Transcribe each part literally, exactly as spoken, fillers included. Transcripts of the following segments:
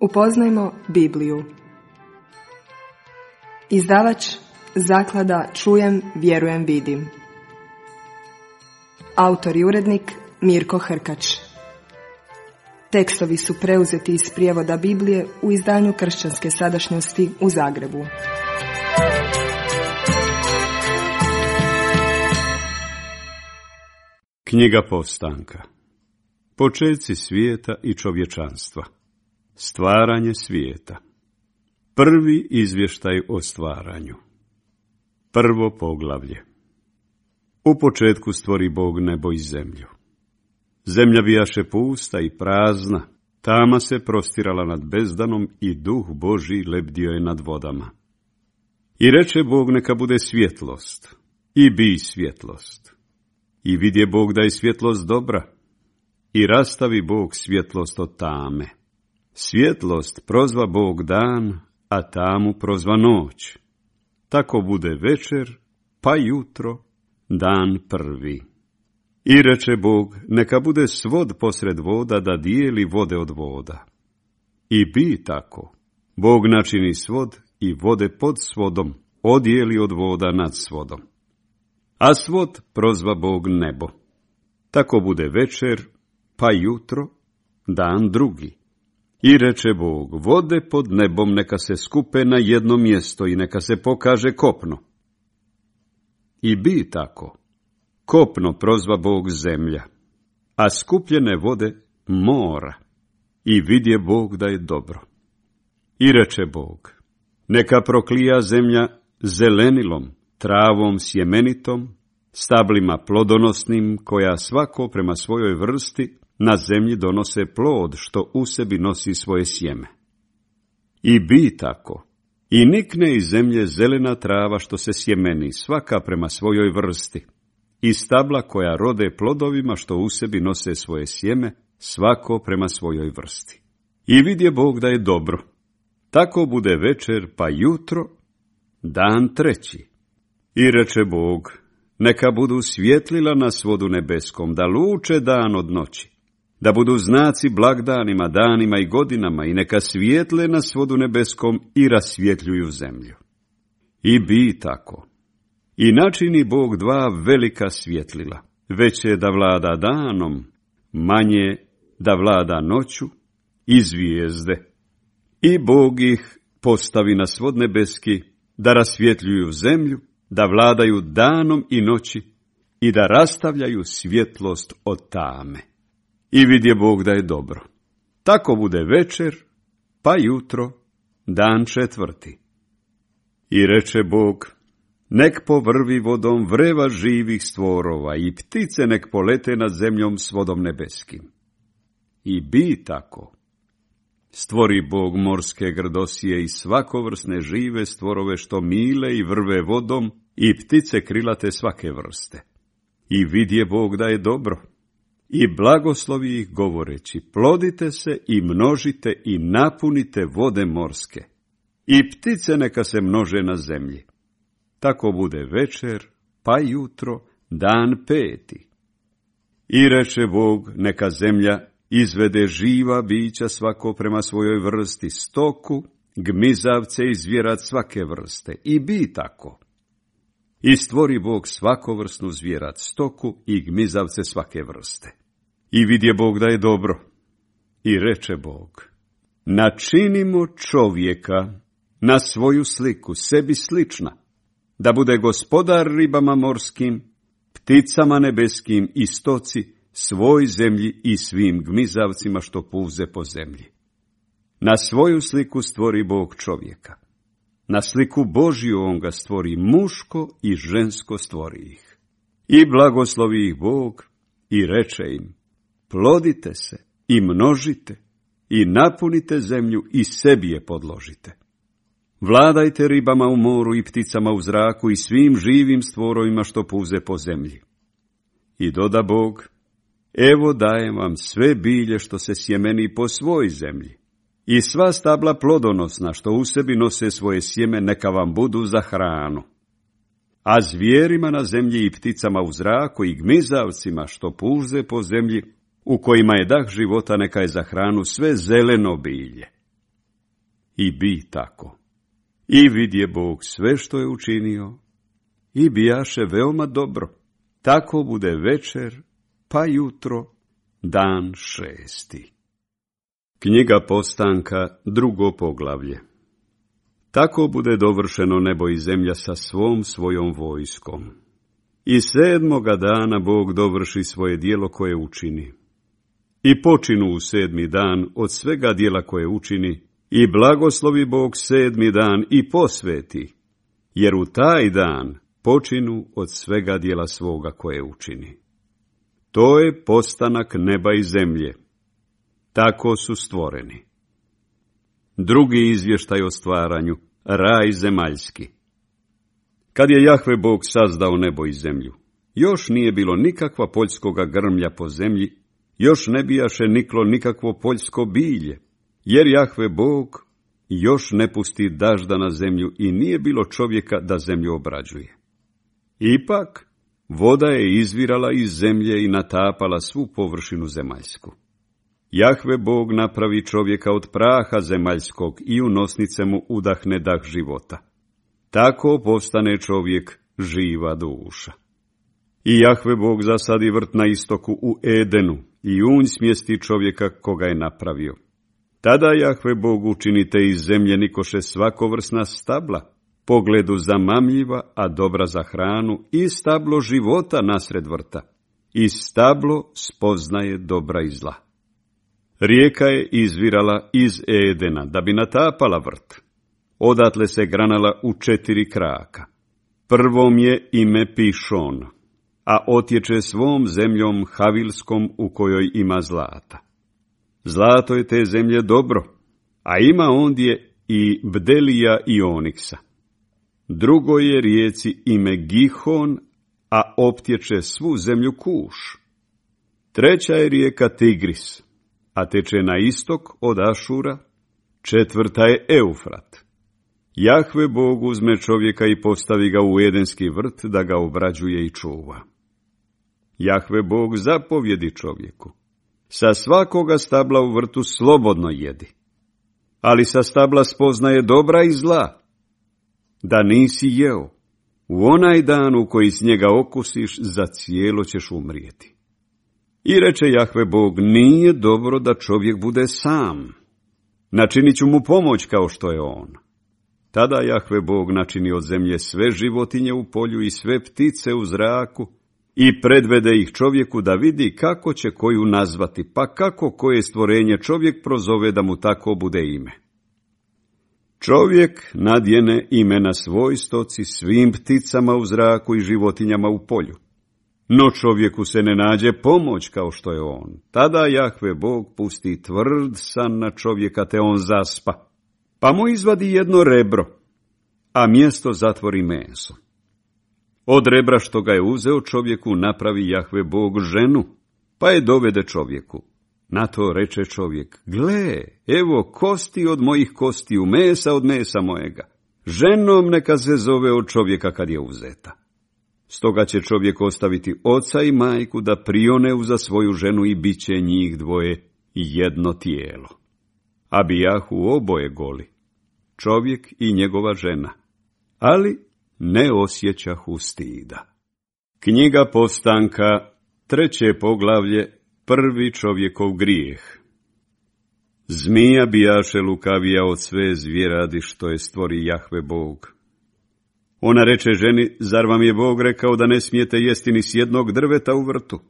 Upoznajmo Bibliju. Izdavač Zaklada Čujem, vjerujem, vidim. Autor i urednik Mirko Hrkač. Tekstovi su preuzeti iz prijevoda Biblije u izdanju Kršćanske sadašnjosti u Zagrebu. Knjiga Povstanka. Počeci svijeta i čovječanstva. Stvaranje svijeta. Prvi izvještaj o stvaranju. Prvo poglavlje. U početku stvori Bog nebo i zemlju. Zemlja bijaše pusta i prazna, tama se prostirala nad bezdanom i duh Božji lebdio je nad vodama. I reče Bog, neka bude svjetlost, i bi svjetlost. I vidje Bog da je svjetlost dobra, i rastavi Bog svjetlost od tame. Svjetlost prozva Bog dan, a tamu prozva noć. Tako bude večer, pa jutro, dan prvi. I reče Bog, neka bude svod posred voda da dijeli vode od voda. I bi tako. Bog načini svod i vode pod svodom, odijeli od voda nad svodom. A svod prozva Bog nebo. Tako bude večer, pa jutro, dan drugi. I reče Bog, vode pod nebom neka se skupe na jedno mjesto i neka se pokaže kopno. I bi tako. Kopno prozva Bog zemlja, a skupljene vode mora. I vidje Bog da je dobro. I reče Bog, neka proklija zemlja zelenilom, travom sjemenitom, stablima plodonosnim, koja svako prema svojoj vrsti na zemlji donose plod što u sebi nosi svoje sjeme. I bi tako. I nikne iz zemlje zelena trava što se sjemeni, svaka prema svojoj vrsti. I stabla koja rode plodovima što u sebi nose svoje sjeme, svako prema svojoj vrsti. I vidje Bog da je dobro. Tako bude večer, pa jutro, dan treći. I reče Bog, neka budu svjetlila na svodu nebeskom, da luče dan od noći, da budu znaci blagdanima, danima i godinama, i neka svijetle na svodu nebeskom i rasvjetljuju zemlju. I bi tako. I načini Bog dva velika svjetlila, veće da vlada danom, manje da vlada noću, i zvijezde. I Bog ih postavi na svod nebeski, da rasvjetljuju zemlju, da vladaju danom i noći, i da rastavljaju svjetlost od tame. I vidje Bog da je dobro. Tako bude večer, pa jutro, dan četvrti. I reče Bog, nek povrvi vodom vreva živih stvorova i ptice nek polete nad zemljom s vodom nebeskim. I bi tako. Stvori Bog morske grdosije i svakovrsne žive stvorove što mile i vrve vodom i ptice krilate svake vrste. I vidje Bog da je dobro. I blagoslovi ih govoreći, plodite se i množite i napunite vode morske. I ptice neka se množe na zemlji. Tako bude večer, pa jutro, dan peti. I reče Bog, neka zemlja izvede živa bića svako prema svojoj vrsti, stoku, gmizavce i zvjerat svake vrste. I bi tako. I stvori Bog svakovrsnu zvjerat, stoku i gmizavce svake vrste. I vidje Bog da je dobro. I reče Bog, načinimo čovjeka na svoju sliku, sebi slična, da bude gospodar ribama morskim, pticama nebeskim i stoci, svoj zemlji i svim gmizavcima što puze po zemlji. Na svoju sliku stvori Bog čovjeka. Na sliku Božju on ga stvori, muško i žensko stvori ih. I blagoslovi ih Bog i reče im, plodite se i množite i napunite zemlju i sebi je podložite. Vladajte ribama u moru i pticama u zraku i svim živim stvorovima što puze po zemlji. I doda Bog, evo dajem vam sve bilje što se sjemeni po svoj zemlji i sva stabla plodonosna što u sebi nose svoje sjeme neka vam budu za hranu. A zvijerima na zemlji i pticama u zraku i gmizavcima što puze po zemlji, u kojima je dah života, neka je za hranu sve zeleno bilje. i bi tako. I vidje Bog sve što je učinio, i bijaše veoma dobro. Tako bude večer, pa jutro, dan šesti. Knjiga Postanka, drugo poglavlje. Tako bude dovršeno nebo i zemlja sa svom svojom vojskom. I sedmoga dana Bog dovrši svoje djelo koje učini. I počinu u sedmi dan od svega djela koje učini, i blagoslovi Bog sedmi dan i posveti, jer u taj dan počinu od svega djela svoga koje učini. To je postanak neba i zemlje. Tako su stvoreni. Drugi izvještaj o stvaranju, raj zemaljski. Kad je Jahve Bog sazdao nebo i zemlju, još nije bilo nikakva poljskoga grmlja po zemlji, još ne bijaše niklo nikakvo poljsko bilje, jer Jahve Bog još ne pusti dažda na zemlju i nije bilo čovjeka da zemlju obrađuje. Ipak, voda je izvirala iz zemlje i natapala svu površinu zemaljsku. Jahve Bog napravi čovjeka od praha zemaljskog i u nosnice mu udahne dah života. Tako postane čovjek živa duša. I Jahve Bog zasadi vrt na istoku u Edenu i unj smjesti čovjeka koga je napravio. Tada Jahve Bog učinite iz zemlje nikoše svakovrsna stabla, pogledu zamamljiva, a dobra za hranu, i stablo života nasred vrta, i stablo spoznaje dobra i zla. Rijeka je izvirala iz Edena, da bi natapala vrt. Odatle se granala u četiri kraka. Prvom je ime Pišon, a otječe svom zemljom Havilskom u kojoj ima zlata. Zlato je te zemlje dobro, a ima ondje i bdelija i oniksa. Drugo je rijeci ime Gihon, a optječe svu zemlju Kuš. Treća je rijeka Tigris, a teče na istok od Ašura. Četvrta je Eufrat. Jahve Bog uzme čovjeka i postavi ga u Edenski vrt da ga obrađuje i čuva. Jahve Bog zapovjedi čovjeku: sa svakoga stabla u vrtu slobodno jedi, ali sa stabla spoznaje dobra i zla, da nisi jeo, u onaj dan u koji s njega okusiš, za cijelo ćeš umrijeti. I reče Jahve Bog: nije dobro da čovjek bude sam, načinit ću mu pomoć kao što je on. Tada Jahve Bog načini od zemlje sve životinje u polju i sve ptice u zraku i predvede ih čovjeku da vidi kako će koju nazvati, pa kako koje stvorenje čovjek prozove da mu tako bude ime. Čovjek nadjene imena svoj stoci, svim pticama u zraku i životinjama u polju. No čovjeku se ne nađe pomoć kao što je on. Tada Jahve Bog pusti tvrd san na čovjeka, te on zaspa, pa mu izvadi jedno rebro, a mjesto zatvori meso. Od rebra što ga je uzeo čovjeku napravi Jahve Bog ženu, pa je dovede čovjeku. Na to reče čovjek: gle, evo kosti od mojih kostiju, mesa od mesa mojega. Ženom neka se zove od čovjeka kad je uzeta. Stoga će čovjek ostaviti oca i majku da prione uza svoju ženu i bit će njih dvoje jedno tijelo. A bijahu oboje goli, čovjek i njegova žena, ali ne osjećahu stida. Knjiga Postanka, treće poglavlje, prvi čovjekov grijeh. Zmija bijaše lukavija od sve zvjeradi što je stvori Jahve Bog. Ona reče ženi: zar vam je Bog rekao da ne smijete jesti ni s jednog drveta u vrtu?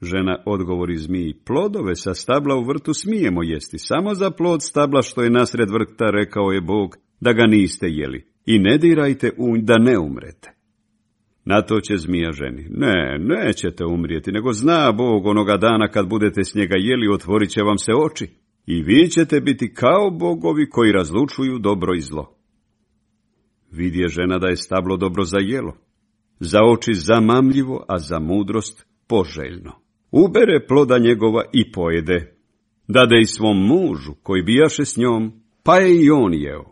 Žena odgovori zmiji: plodove sa stabla u vrtu smijemo jesti, samo za plod stabla što je nasred vrta rekao je Bog da ga niste jeli, i ne dirajte u nj da ne umrete. Na to će zmija ženi: ne, nećete umrijeti, nego zna Bog onoga dana kad budete s njega jeli, otvorit će vam se oči, i vi ćete biti kao bogovi koji razlučuju dobro i zlo. Vidje žena da je stablo dobro za jelo, za oči zamamljivo, a za mudrost poželjno. Ubere ploda njegova i pojede, dade i svom mužu koji bijaše s njom, pa je i on jeo.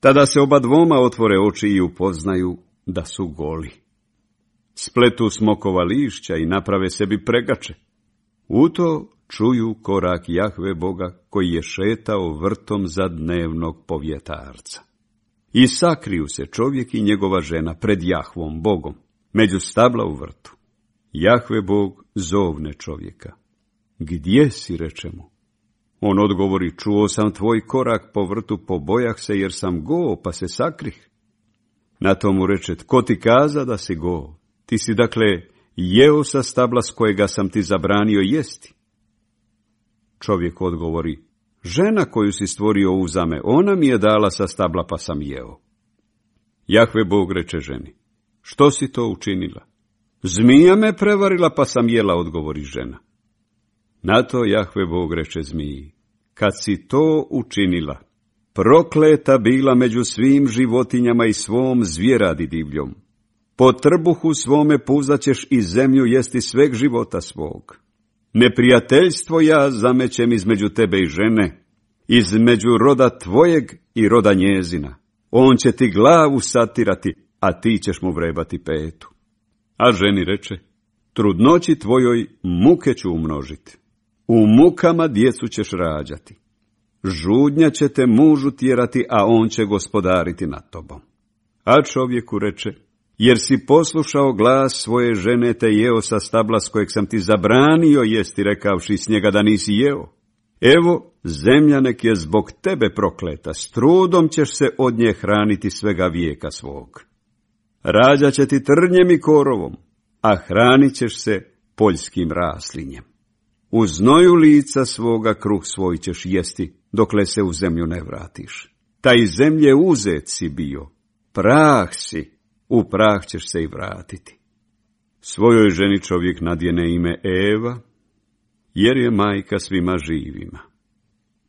Tada se oba dvoma otvore oči i upoznaju da su goli. Spletu smokova lišća i naprave sebi pregače. U to čuju korak Jahve Boga koji je šetao vrtom za dnevnog povjetarca. I sakriju se čovjek i njegova žena pred Jahvom Bogom, među stabla u vrtu. Jahve Bog zovne čovjeka. Gdje si, reče mu? On odgovori, čuo sam tvoj korak po vrtu, pobojah se jer sam go, pa se sakrih. Na to mu reče, tko ti kaza da si go? Ti si dakle jeo sa stabla s kojega sam ti zabranio jesti. Čovjek odgovori, žena koju si stvorio uzame, ona mi je dala sa stabla pa sam jeo. Jahve Bog reče ženi, što si to učinila? Zmija me prevarila pa sam jela, odgovori žena. Na to Jahve Bog reče zmiji, kad si to učinila, prokleta bila među svim životinjama i svom zvjeradi divljom. Po trbuhu svome puzaćeš i zemlju jesti sveg života svog. Neprijateljstvo ja zamećem između tebe i žene, između roda tvojeg i roda njezina. On će ti glavu satirati, a ti ćeš mu vrebati petu. A ženi reče, trudnoći tvojoj muke ću umnožiti. U mukama djecu ćeš rađati. Žudnja će te mužu tjerati, a on će gospodariti nad tobom. A čovjeku reče, jer si poslušao glas svoje žene te jeo sa stabla s kojeg sam ti zabranio jesti, rekavši s njega da nisi jeo. Evo, zemlja nek je zbog tebe prokleta, s trudom ćeš se od nje hraniti svega vijeka svog. Rađat će ti trnjem i korovom, a hranit ćeš se poljskim raslinjem. U znoju lica svoga kruh svoj ćeš jesti, dokle se u zemlju ne vratiš. Taj zemlje uzet si bio, prah si, u prah ćeš se i vratiti. Svojoj ženi čovjek nadjene ime Eva, jer je majka svima živima.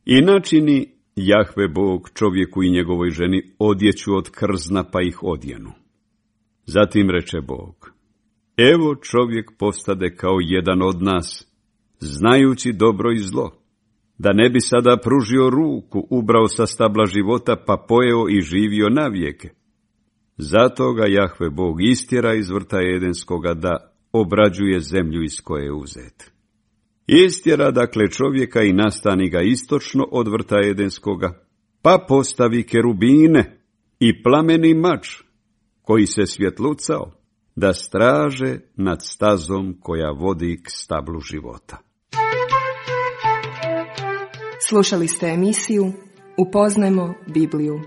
I načini Jahve Bog čovjeku i njegovoj ženi odjeću od krzna pa ih odjenu. Zatim reče Bog, evo čovjek postade kao jedan od nas, znajući dobro i zlo, da ne bi sada pružio ruku, ubrao sa stabla života, pa pojeo i živio navijeke. Zato ga Jahve Bog istjera iz vrta Edenskoga da obrađuje zemlju iz koje je uzet. Istjera dakle čovjeka i nastani ga istočno od vrta Edenskoga, pa postavi kerubine i plameni mač, koji se svjetlucao, da straže nad stazom koja vodi k stablu života. Slušali ste emisiju Upoznajmo Bibliju.